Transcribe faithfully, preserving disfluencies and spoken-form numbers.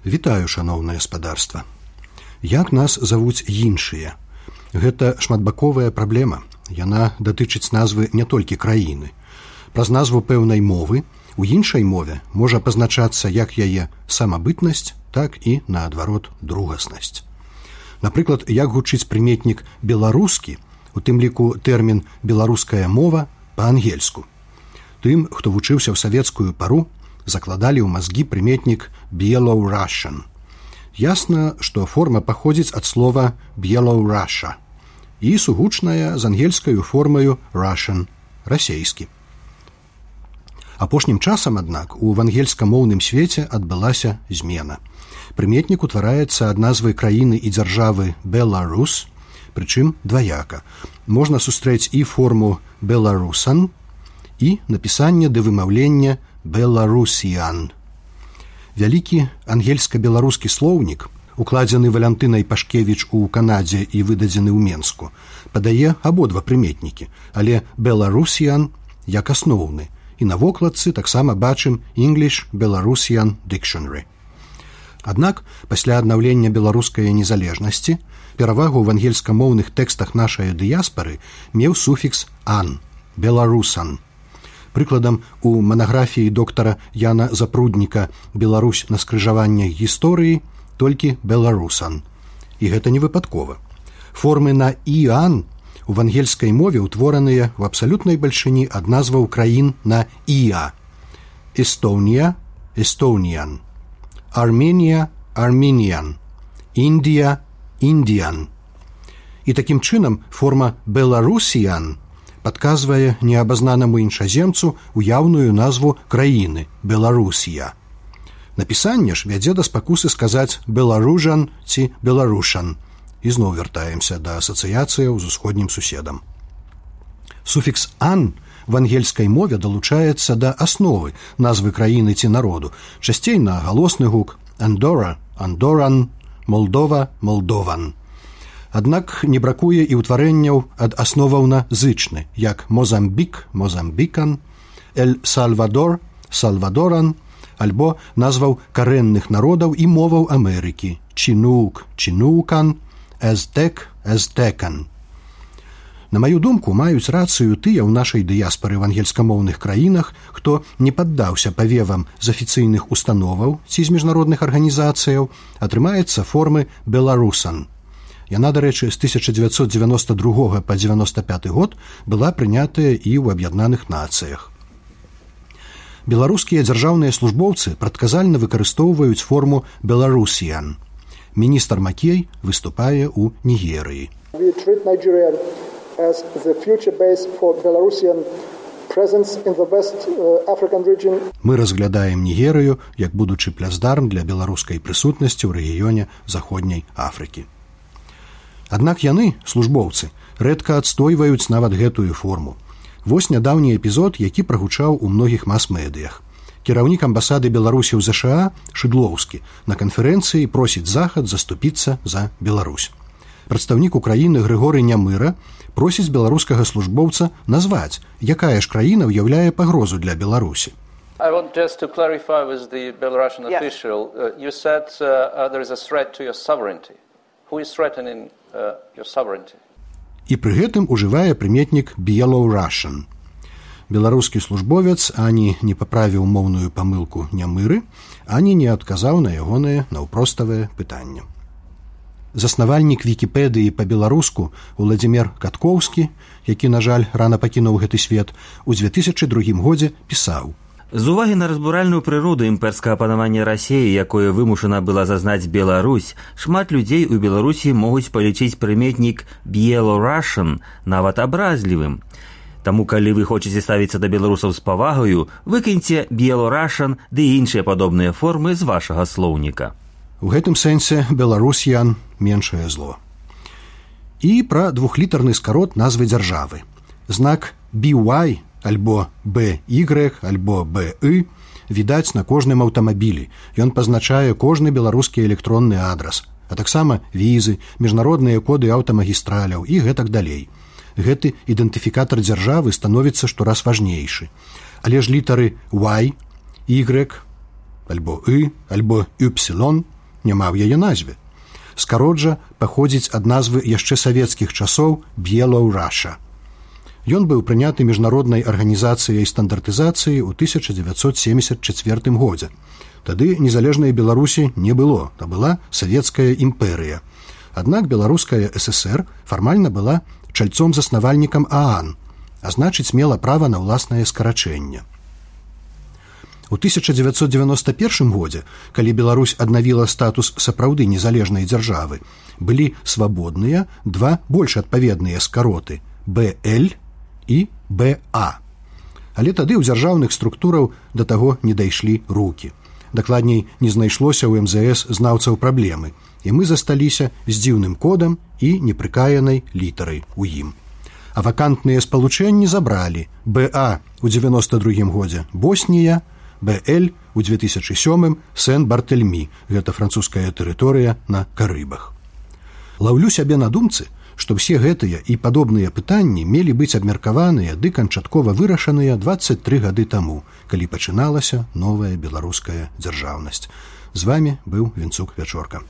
Вітаю, шаноўнае спадарства. Як нас завуць іншыя? Гэта шматбаковая праблема. Яна датычыць назвы не толькі краіны. Праз назву пэўнай мовы у іншай мове можа пазначацца як яе самабытнасць, так і, наадварот, другаснасць. Напрыклад, як гучыць прыметнік «беларускі», у тым ліку тэрмін «беларуская мова» па-ангельску. Тым, хто вучыўся ў савецкую пару, закладалі ў мазгі прыметнік «Belorussian». Ясна, што форма паходзіць ад слова «Белорусsia» і сугучная з ангельскаю формаю «Russian» – расейскі. Апошнім часам, аднак, у ангельскамоўным свеце адбылася змена. Прыметнік утвараецца ад назвы краіны і дзяржавы «Беларус», прычым дваяка. Можна сустрэць і форму «Беларусан» і напісанне ды вымаўлення «Беларусіан». Вялікі ангельска-беларускі слоўнік, укладзены Валянтынай Пашкевіч у Канадзе і выдадзены ў Менску, падае абодва прыметнікі, але «Беларусіан» як асноўны, і на вокладцы таксама бачым English Belarusian Dictionary. Аднак, пасля аднаўлення беларускай незалежнасці, перавагу ў ангельскамоўных тэкстах нашай дыяспары меў суфікс «ан» – «беларусан». Прыкладам, у манаграфіі доктара Яна Запрудніка «Беларусь на скрыжаваннях гісторыі» толькі «беларусан». І гэта не выпадкова. Формы на «іан» у ангельскай мове ўтвораныя ў абсалютнай бальшыні ад назваў краін на «іа». Эстонія – «Estonian», Арменія – «Armenian», Індія – «Indian». І такім чынам форма «Беларусіан» падказвае неабазнанаму іншаземцу уяўную назву краіны – «Беларусія». Напісанне ж вядзе да спакусы сказаць «беларужан» ці «беларушан». І зноў вяртаемся да асацыяцыяў з усходнім суседам. Суфікс «ан» в ангельскай мове далучаецца да асновы назвы краіны ці народу, часцей на галосны гук «Андора» – «Андоран», «Молдова» – «Молдован». Аднак не бракуе і ўтварэнняў ад асноваў на зычны, як «Мозамбік» – «Мозамбікан», «Эль-Сальвадор» – «Сальвадоран», альбо назваў карэнных народаў і моваў Амерыкі – «Чинук» – «Чинукан», «Эзтек» – «Эзтекан». На маю думку, маюць рацыю тыя ў нашай дыяспары в ангельскамоўных краінах, хто не паддаўся павевам з афіцыйных установаў ці з міжнародных арганізацыяў, атрымаецца формы «беларусан». Яна, дарэчы, з тысяча дзевяцьсот дзевяноста другога па дзевяноста пяты год была прынятая і ў Аб'яднаных Нацыях. Беларускія дзяржаўныя службоўцы прадказальна выкарыстоўваюць форму «беларусіан». Міністр Макей выступае ў Нігерыі. Мы разглядаем Нігерыю як будучы пляцдарм для беларускай прысутнасці ў рэгіёне Заходняй Афрыкі. Аднак яны, службоўцы, рэдка адстойваюць нават гэтую форму. Вось нядаўні эпізод, які прагучаў у многіх мас-медыях. Кіраўнік амбасады Беларусі ў ЗША Шыдлоўскі на канферэнцыі просіць Захад заступіцца за Беларусь. Прадстаўнік Украіны Грыгорый Нямыра просіць беларускага службоўца назваць, якая ж краіна ўяўляе пагрозу для Беларусі. I want just to clarify with the Belarusian official. Uh, you said uh, uh, there is a threat to your sovereignty. Who is threatening uh, your sovereignty? І пры гэтым ужывае прыметнік «Belorussian». Беларускі службовец ані не паправіў моўную памылку Нямыры, ані не адказаў на ягонае наўпроставае пытанне. Заснавальнік Вікіпедыі па-беларуску Уладзімір Каткоўскі, які, на жаль, рана пакінуў гэты свет, у дзве тысячы другім годзе пісаў: з увагі на разбуральную прыроду імперскага панавання Расіі, якое вымушана была зазнаць Беларусь, шмат людзей у Беларусі могуць палічыць прыметнік «Belorussian» нават абразлівым. Таму, калі вы хочаце ставіцца да беларусаў з павагаю, выкіньце «Belorussian» ды іншыя падобныя формы з вашага слоўніка. У гэтым сэнсе «беларусіан» меншае зло. І пра двухлітарны скарот назвы дзяржавы. Знак «би уай» альбо «бэ ігрэк» альбо «бэ і» відаць на кожным аўтамабілі. Ён пазначае кожны беларускі электронны адрас, а таксама візы, міжнародныя коды аўтамагістраляў і гэтак далей. Гэты ідэнтыфікатар дзяржавы становіцца штораз важнейшы. Але ж літары «Y», «Y» альбо «Y» альбо «Y» няма ў яе назве. Скарот паходзіць ад назвы яшчэ савецкіх часоў Беларуша. Ён быў прыняты міжнароднай арганізацыяй стандартызацыі ў тысяча дзевяцьсот семьдесят чацвёртым годзе. Тады незалежнай Беларусі не было, то была савецкая імперыя. Аднак беларуская ССР фармальна была чальцом-заснавальнікам ААН, а значыць мела права на ўласнае скарачэнне. У тысяча дзевяцьсот дзевяноста першым годзе, калі Беларусь аднавіла статус сапраўды незалежнай дзяржавы, былі свабодныя два больш адпаведныя скароты БЛ і БА. Але тады ў дзяржаўных структураў да таго не дайшлі рукі. Дакладней, не знайшлося ў эм зэ эс знаўцаў праблемы, і мы засталіся з дзіўным кодам і непрыкаянай літарай у ім. А вакантныя спалучэнні забралі БА ў дзевяноста другім годзе Боснія, БЛ у две тысячы сёмым Сен-Бартэльмі, гэта французская тэрыторыя на Карыбах. Лаўлю сябе на думцы, што ўсе гэтыя і падобныя пытанні мелі быць абмеркаваныя ды канчаткова вырашаныя дваццаць тры гады таму, калі пачыналася новая беларуская дзяржаўнасць. З вамі быў Вінцук Вячорка.